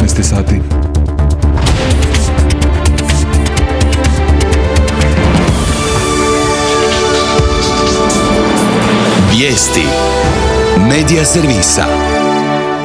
19 sati. Vijesti Medija servisa.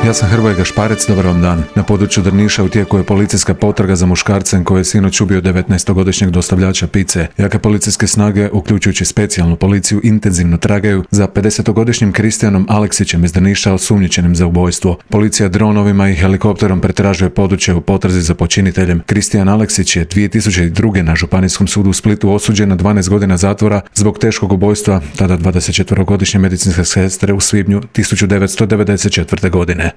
Ja sam Hrvoje Gašparec, dobar vam dan. Na području Drniša u tijeku je policijska potraga za muškarcem koji je sinoć ubio 19-godišnjeg dostavljača pice. Jake policijske snage, uključujući specijalnu policiju, intenzivno tragaju za 50-godišnjim Kristijanom Aleksićem iz Drniša, osumnjičenim za ubojstvo. Policija dronovima i helikopterom pretražuje područje u potrazi za počiniteljem. Kristijan Aleksić je 2002. na Županijskom sudu u Splitu osuđen na 12 godina zatvora zbog teškog ubojstva tada 24-godišnje medicinske sestre u svibnju 1994. godine.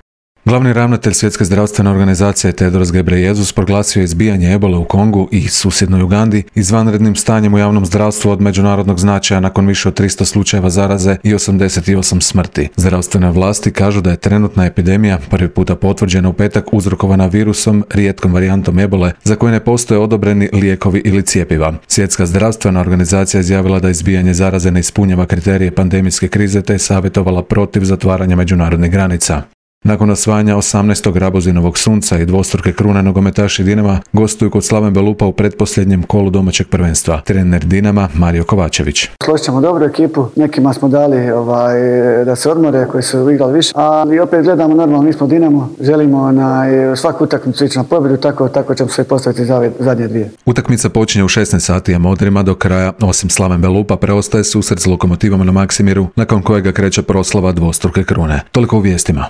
Glavni ravnatelj Svjetske zdravstvene organizacije Tedros Ghebreyesus proglasio je izbijanje ebole u Kongu i susjednoj Ugandi izvanrednim stanjem u javnom zdravstvu od međunarodnog značaja nakon više od 300 slučajeva zaraze i 88 smrti. Zdravstvene vlasti kažu da je trenutna epidemija prvi puta potvrđena u petak uzrokovana virusom, rijetkom varijantom ebole, za koje ne postoje odobreni lijekovi ili cjepiva. Svjetska zdravstvena organizacija izjavila da izbijanje zaraze ne ispunjava kriterije pandemijske krize te je savjetovala protiv zatvaranja međunarodnih granica. Nakon osvajanja 18. Rabozinovog sunca i dvostruke krune, nogometaši Dinama gostuju kod Slaven Belupa u pretposljednjem kolu domaćeg prvenstva. Trener Dinama Mario Kovačević. Složit ćemo dobru ekipu, nekima smo dali da se odmore, koji su igrali više, ali opet gledamo normalno, mi smo Dinamo, želimo svaku utakmicu ići na pobjedu, tako ćemo se postaviti za ove zadnje dvije. Utakmica počinje u 16 sati, a modrima do kraja, osim Slaven Belupa, preostaje susret s Lokomotivom na Maksimiru, nakon kojega kreće proslava dvostruke krune. Toliko u vijestima.